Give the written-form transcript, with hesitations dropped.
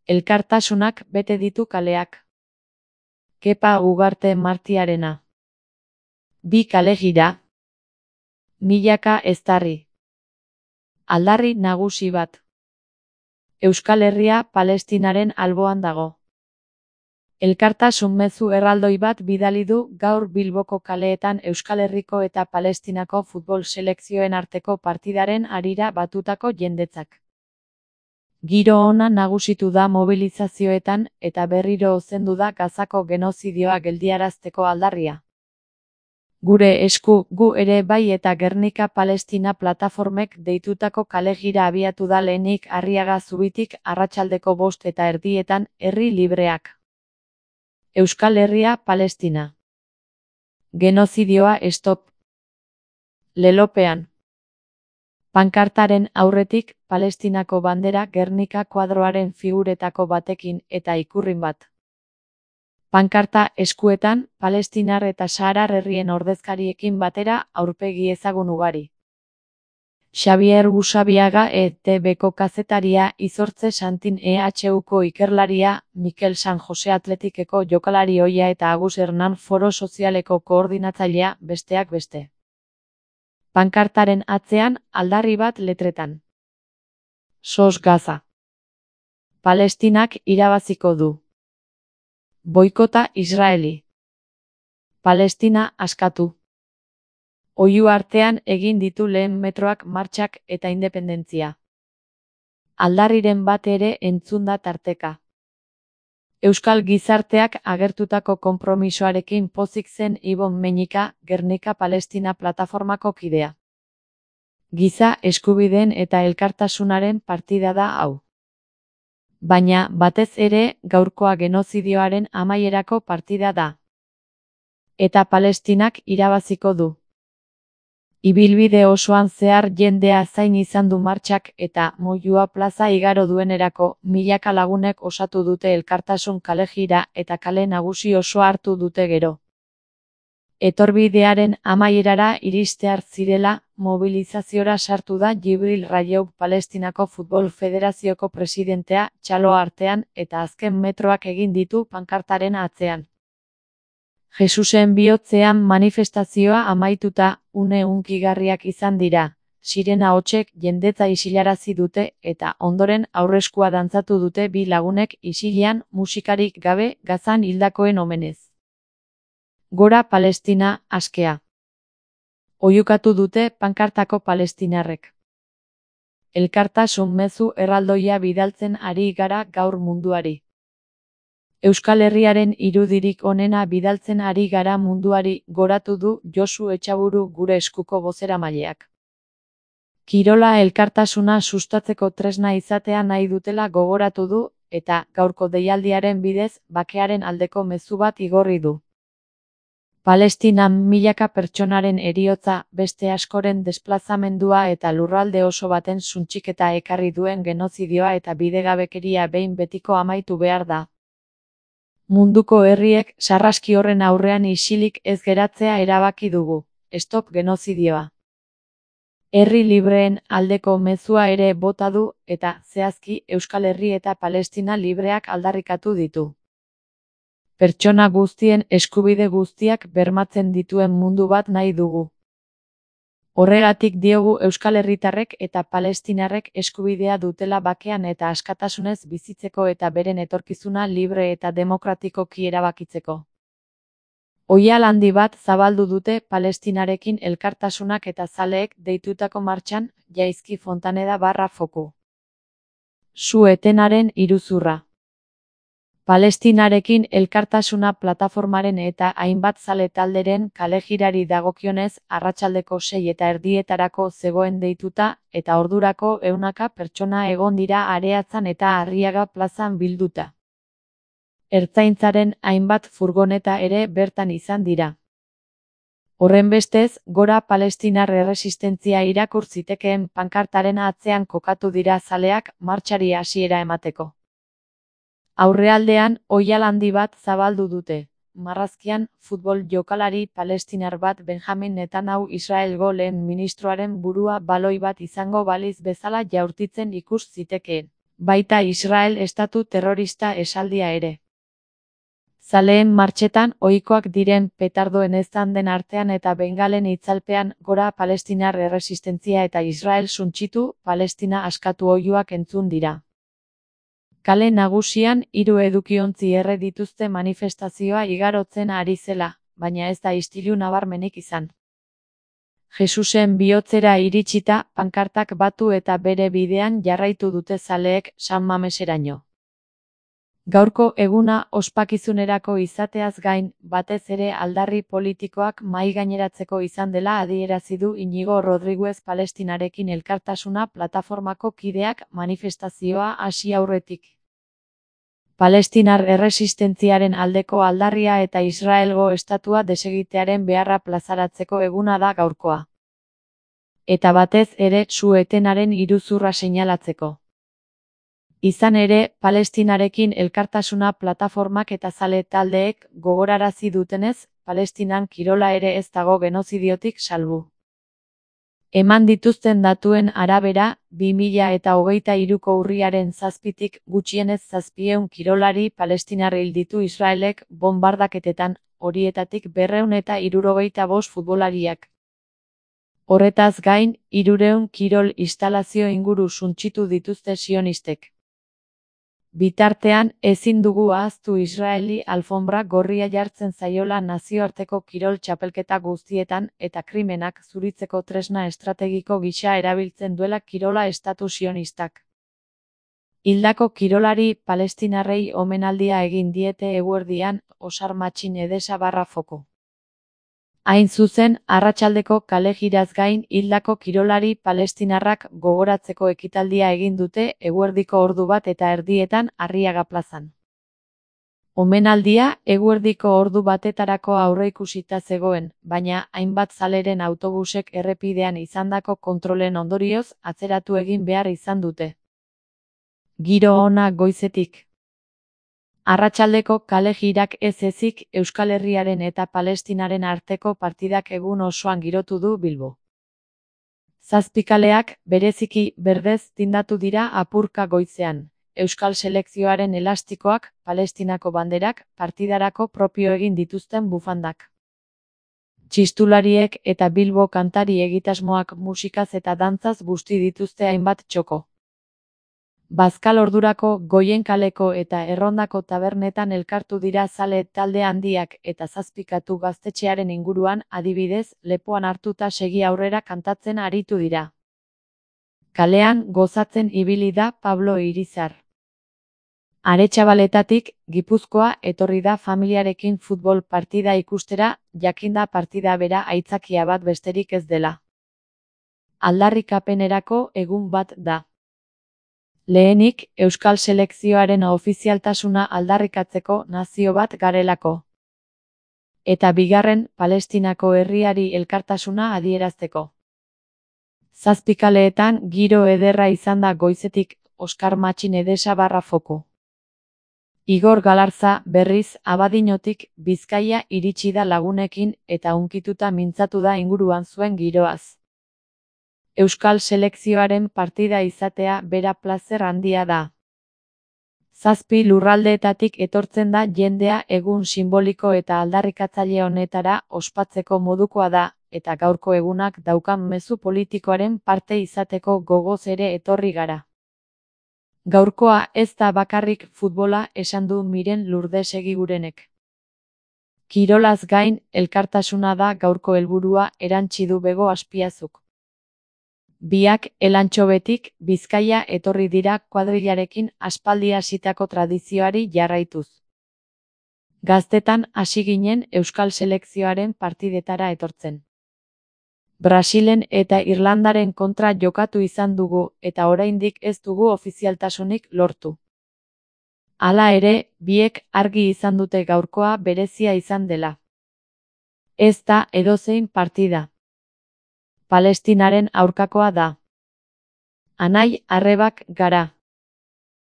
Elkartasunak bete ditu kaleak. Kepa Ugarte Martiarena. Bi kale-gira. Milaka eztarri. Aldarri nagusi bat. Euskal Herria Palestinaren alboan dago. Elkartasun mezu erraldoi bat bidali du gaur Bilboko kaleetan Euskal Herriko eta Palestinako futbol selekzioen arteko partidaren harira batutako jendetzak. Giro ona nagusitu da mobilizazioetan eta berriro ozendu da Gazako genozidioa geldiarazteko aldarria. Gure esku, gu ere bai eta Gernika Palestina plataformek deitutako kale-gira abiatu da lehenik Arriaga Zubitik arratsaldeko 5:30 herri libreak. Euskal Herria Palestina. Genozidioa stop. Lelopean. Pankartaren aurretik, Palestinako bandera Gernika koadroaren figuretako batekin eta ikurrin bat. Pankarta eskuetan, palestinar eta saharar herrien ordezkariekin batera aurpegi ezagun ugari. Xabier Gusabiaga ETBko kazetaria, Izortze Santin EHUko ikerlaria, Mikel San Jose Atletikeko jokalari ohia eta Agus Hernan Foro Sozialeko koordinatzailea, besteak beste. Pankartaren atzean, aldarri bat letretan. SOS Gaza. Palestinak irabaziko du. Boikota Israeli. Palestina askatu. Oihu artean egin ditu lehen metroak martxak eta independentzia. Aldarriren bat ere entzun da tarteka. Euskal gizarteak agertutako konpromisoarekin pozik zen Ibon Meñika, Gernika Palestina plataformako kidea. Giza eskubideen eta elkartasunaren partida da hau. Baina, batez ere, gaurkoa genozidioaren amaierako partida da. Eta Palestinak irabaziko du. Ibilbide osoan zehar jendea zain izan du martxak eta Moyua plaza igaro duenerako milaka lagunek osatu dute elkartasun kale-gira eta kale nagusi osoa hartu dute gero. Etorbidearen amaierara iristear zirela, mobilizaziora sartu da Jibril Rajoub Palestinako Futbol Federazioko presidentea txalo artean eta azken metroak egin ditu pankartaren atzean. Jesusen bihotzean manifestazioa amaituta, une hunkigarriak izan dira, sirena hotsek jendetza isilarazi dute eta ondoren aurreskua dantzatu dute bi lagunek isilean musikarik gabe Gazan hildakoen omenez. Gora Palestina, askea. Oihukatu dute pankartako palestinarrek. Elkartasun mezu erraldoia bidaltzen ari gara gaur munduari. Euskal Herriaren irudirik onena bidaltzen ari gara munduari, goratu du Josu Etxaburu gure eskuko bozeramaileak. Kirola elkartasuna sustatzeko tresna izatea nahi dutela gogoratu du, eta gaurko deialdiaren bidez bakearen aldeko mezu bat igorri du. Palestinan milaka pertsonaren heriotza, beste askoren desplazamendua eta lurralde oso baten suntsiketa ekarri duen genozidioa eta bidegabekeria behin betiko amaitu behar da. Munduko herriek sarraski horren aurrean isilik ez geratzea erabaki dugu. Stop genozidioa. Herri libreen aldeko mezua ere bota du eta zehazki Euskal Herri eta Palestina libreak aldarrikatu ditu. Pertsona guztien eskubide guztiak bermatzen dituen mundu bat nahi dugu. Horregatik diogu Euskal Herritarrek eta Palestinarrek eskubidea dutela bakean eta askatasunez bizitzeko eta beren etorkizuna libre eta demokratikoki erabakitzeko. Oihal handi bat zabaldu dute Palestinarekin elkartasunak eta zaleek deitutako martxan, Jaizki Fontaneda /foku. Su-etenaren iruzurra. Palestinarekin elkartasuna plataformaren eta hainbat zale talderen kale-girari dagokionez arratsaldeko 6:30 zegoen deituta eta ordurako ehunaka pertsona egon dira Areatzan eta Arriaga plazan bilduta. Ertzaintzaren hainbat furgoneta ere bertan izan dira. Horrenbestez, gora palestinar erresistentzia irakur zitekeen pankartaren atzean kokatu dira zaleak martxari hasiera emateko. Aurrealdean, oihal handi bat zabaldu dute. Marrazkian, futbol jokalari palestinar bat Benjamin Netanyahu Israelgo lehen ministroaren burua baloi bat izango baliz bezala jaurtitzen ikus zitekeen. baita Israel estatu terrorista esaldia ere. Zaleen martxetan ohikoak diren petardoen eztanden artean eta bengalen itzalpean gora palestinar erresistentzia eta Israel suntsitu, Palestina askatu oihuak entzun dira. Kale nagusian 3 edukiontzi erre dituzte manifestazioa igarotzen ari zela, baina ez da istilu nabarmenik izan. Jesusen bihotzera iritsita, pankartak batu eta bere bidean jarraitu dute zaleek San Mameseraino. Gaurko eguna ospakizunerako izateaz gain, batez ere aldarri politikoak mahaigaineratzeko izan dela adierazi du Iñigo Rodriguez Palestinarekin elkartasuna plataformako kideak manifestazioa hasi aurretik. Palestinar erresistentziaren aldeko aldarria eta Israelgo estatua desegitearen beharra plazaratzeko eguna da gaurkoa. Eta batez ere su-etenaren iruzurra seinalatzeko. Izan ere, Palestinarekin elkartasuna plataformak eta zale taldeek gogorarazi dutenez, Palestinan kirola ere ez dago genozidiotik salbu. Eman dituzten datuen arabera, 2023ko urriaren 7tik gutxienez 700 kirolari palestinar hil ditu Israelek bonbardaketetan, horietatik 275 futbolariak. Horretaz gain, 300 kirol instalazio inguru suntsitu dituzte sionistek. Bitartean, ezin dugu ahaztu Israeli alfonbra gorria jartzen zaiola nazioarteko kirol txapelketa guztietan eta krimenak zuritzeko tresna estrategiko gisa erabiltzen duela kirola estatu sionistak. Hildako kirolari palestinarrei omenaldia egin diete eguerdian, Osar Matxin Edesa /Foko. Hain zuzen, arratsaldeko kale-jiraz gain hildako kirolari palestinarrak gogoratzeko ekitaldia egin dute eguerdiko 1:30 Arriaga plazan. Omenaldia eguerdiko 1:00 aurreikusita zegoen, baina hainbat zaleren autobusek errepidean izandako kontrolen ondorioz atzeratu egin behar izan dute. Giro ona goizetik. Arratsaldeko kale-jirak ez ezik Euskal Herriaren eta Palestinaren arteko partidak egun osoan girotu du Bilbo. 7 kaleak, bereziki berdez tindatu dira apurka goizean, Euskal selekzioaren elastikoak, Palestinako banderak, partidarako propio egin dituzten bufandak. Txistulariek eta Bilbo kantari egitasmoak musikaz eta dantzaz busti dituzte hainbat txoko. Bazkal ordurako Goien kaleko eta Errondako tabernetan elkartu dira zale talde handiak eta 7 gaztetxearen inguruan adibidez lepoan hartuta segi aurrera kantatzen aritu dira. Kalean gozatzen ibili da Pablo Irizar. Aretxabaletatik, Gipuzkoa etorri da familiarekin futbol partida ikustera, jakinda partida bera aitzakia bat besterik ez dela. Aldarrikapenerako egun bat da. Lehenik, Euskal selekzioaren ofizialtasuna aldarrikatzeko nazio bat garelako. Eta bigarren, Palestinako herriari elkartasuna adierazteko. 7 kaleetan giro ederra izan da goizetik, Osar Matxin Edesa /Foko. Igor Galarza, berriz, Abadiñotik, Bizkaia iritsi da lagunekin eta hunkituta mintzatu da inguruan zuen giroaz. Euskal selekzioaren partida izatea bera plazer handia da. 7 lurraldeetatik etortzen da jendea egun simboliko eta aldarrikatzaile honetara ospatzeko modukoa da, eta gaurko egunak daukan mezu politikoaren parte izateko gogoz ere etorri gara. Gaurkoa ez da bakarrik futbola esan du Miren Lurdesegi Gurenek. Kirolaz gain, elkartasuna da gaurko helburua erantsi du Bego Azpiazuk. Biak Elantxobetik, Bizkaia etorri dira kuadrilarekin aspaldi hasitako tradizioari jarraituz. Gaztetan hasi ginen Euskal selekzioaren partidetara etortzen. Brasilen eta Irlandaren kontra jokatu izan dugu eta oraindik ez dugu ofizialtasunik lortu. Hala ere, biek argi izan dute gaurkoa berezia izan dela. Ez da edozein partida. Palestinaren aurkakoa da. Anai arrebak gara.